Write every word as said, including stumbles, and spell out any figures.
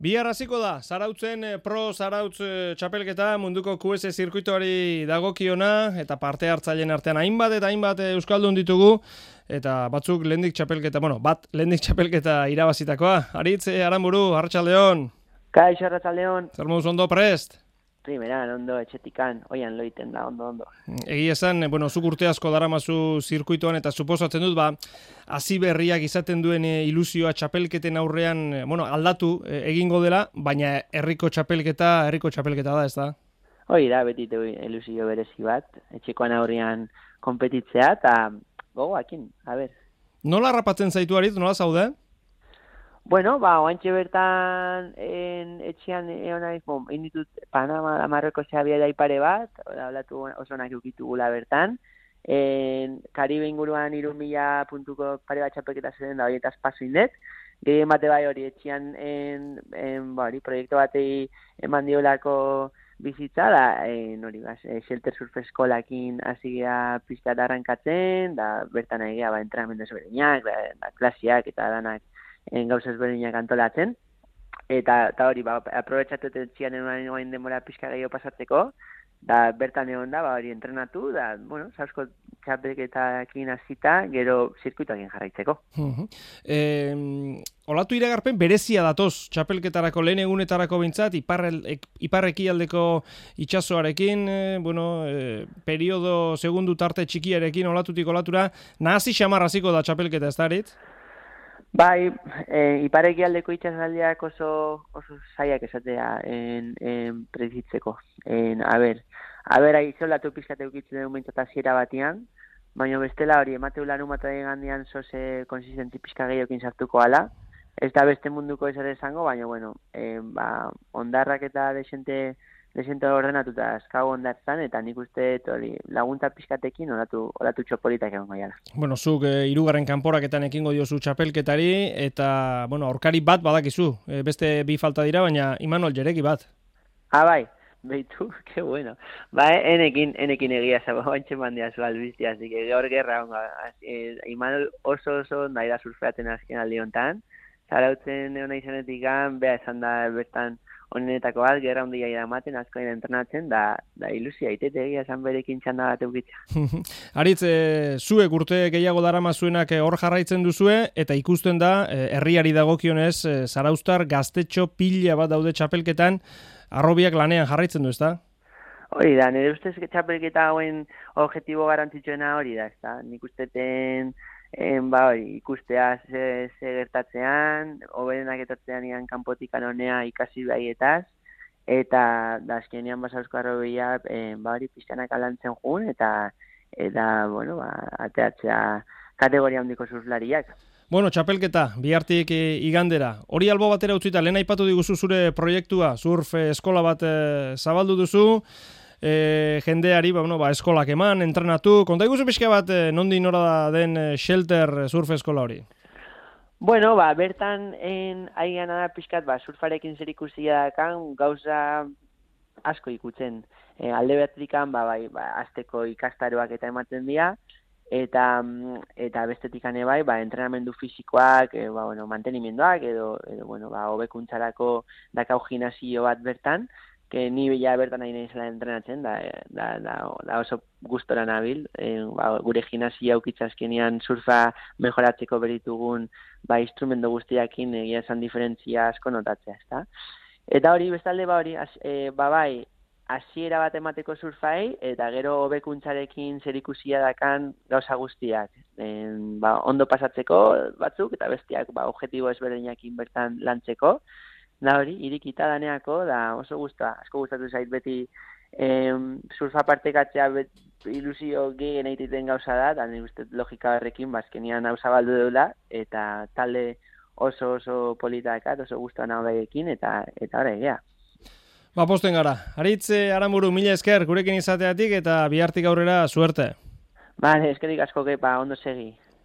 Bihar hasiko da, Zarautzen Pro Zarautz txapelketa munduko Q S zirkuitoari dagokiona eta parte hartzaileen artean hainbat eta hainbat euskaldun ditugu eta batzuk lehendik txapelketa, bueno, bat lehendik txapelketa irabazitakoa. Aritz Aranburu, Arratsaldeon. Kaixo, Arratsaldeon. Zer moduz ondo prest? Primeran, ondo, etxetikan, oian loiten da, ondo, ondo. Egia esan, bueno, zuk urte asko daramazu zirkuitoan eta suposatzen dut, ba, hasi berriak izaten duen ilusioa txapelketen aurrean, bueno, aldatu egingo dela, baina herriko txapelketa, herriko txapelketa da, ez da? Hoi da, beti ilusio berezi bat, etxekoan aurrean konpetitzea, eta gogoakin, a ber. Nola harrapatzen zaitu Aritz, nola zaude? Bueno, ba, oantxe bertan en, etxean egon naiz, bon, inditut Panama Marroko zehabia da ipare bat, hablatu oso onak eukitugula bertan, en, Karibe inguruan hiru mila puntuko pare bat txapelketa zen da horietaz paso indet, gehien bate bai hori etxean en, en, ba, hori, proiektu batei eman diolako bizitza, da, en, hori, ba, Shelter Surf Eskolakin hasi gea pizkat arrankatzen, da, bertan egia, ba, entrenamendu ezberdinak, da, da, klasiak eta danak, en gauza ezberdinak antolatzen, eta, eta hori, ba, aprobetxatu etxian egon denbora pixka gehiago pasatzeko, da bertan egon da, ba, hori entrenatu, da, bueno, sausko txapelketakin hasita, gero zirkuitoakin jarraitzeko. Uh-huh. eh, olatu iragarpen berezia datoz, txapelketarako lehen egunetarako bintzat, iparrekialdeko itsasoarekin, eh, bueno, eh, periodo segundu tarte txikiarekin olatutik olatura, nahasi xamar hasiko da txapelketa, ez da Aritz? Bai, e, iparekialdeko itxasaldiak oso, oso zaiak esatea en, en prezitzeko. En, a ber, a ber, aizolatu pizkate ukitzen dugu mintzat hasiera batian, baina bestela hori, emateu larun bat gandian zoze konsistentzi pizka gehiokin sartuko ala. Ez da beste munduko ez ere esango, baina, bueno, e, ba, ondarrak eta desente, desente ordenatuta azkago ondartzan, eta nik uste hori laguntza pizkatekin olatu, olatu txopolitak egon gaiala. Bueno, zuk e, irugarren kanporaketan ekingo diozu txapelketari, eta, bueno, aurkari bat badakizu, e, beste bi falta dira, baina Imanol Jereki bat. Ah, bai, behitu, que bueno. Ba, enekin, enekin egia zaba, bantxe mandia zu albizti, así que gaur gerra onga. E, Imanol oso oso nahi da surfeaten azken aldi hontan, Zarautzen egon izanetik gan, beha esan da bertan honenetako bat, gerra hondia idamaten, asko dira entrenatzen, da, da ilusia itete egia esan berekin txanda bat eukitza. Aritz, e, zuek urte gehiago daramazuenak hor jarraitzen duzue, eta ikusten da, e, herriari dagokionez, e, Zarauztar gaztetxo pila bat daude txapelketan, arrobiak lanean jarraitzen du, ezta? Hori da, nire ustez txapelketa hauen objektibo garrantzitsuena hori da, ezta? Nik usteten, en, ba, hori, ikustea ze, ze gertatzean, hoberenak etortzean ian kanpotik anonea ikasi baietaz, eta da azkenean basauzko arrobia, en, ba, hori, pizkanak alantzen jun, eta, eta, bueno, ba, ateatzea kategoria handiko surflariak. Bueno, txapelketa, bihartik igandera. Hori albo batera utzita, lehen aipatu diguzu zure proiektua, surf eskola bat e, zabaldu duzu, e, jendeari ba, bueno, ba, eskolak eman, entrenatu. Konta iguzu pixka bat, e, nondi nora den e, Shelter surf eskola hori? Bueno, ba, bertan en aigan da pixkat, ba, surfarekin zer ikusia dakan, gauza asko ikutzen. E, alde behatrikan, ba, bai, ba, azteko ikastaroak eta ematen dira, eta eta bestetik ane bai, ba, entrenamendu fisikoak, e, ba, bueno, mantenimenduak, edo, edo bueno, ba, hobekuntzarako dakau gimnasio bat bertan, que ni bila bertan nahi nahi zela entrenatzen, da, da, da, da oso gustora nabil, e, ba, gure gimnasia aukitzazkenean surfa mejoratzeko beritugun, ba, instrumento guztiakin egia esan diferentzia asko notatzea, ezta? Eta hori, bestalde, ba, hori, e, ba, bai, hasiera bat emateko surfai, eta gero hobekuntzarekin zerikusia dakan gauza guztiak. En, ba, ondo pasatzeko batzuk, eta bestiak ba, objetibo ezberdinakin bertan lantzeko. Da hori, irikita daneako, da oso gusta, asko gustatu zait beti em, surfa partekatzea bet, ilusio gehien egiten gauza da, da nik uste logika horrekin, bazkenian hau zabaldu deula, eta talde oso oso politakat, oso gustoan hau daiekin, eta eta hori egia. Ba, posten gara. Aritz Aranburu, mila esker, gurekin izateatik eta bihartik aurrera suerte. Bale, eskerik asko gepa, ondo segi.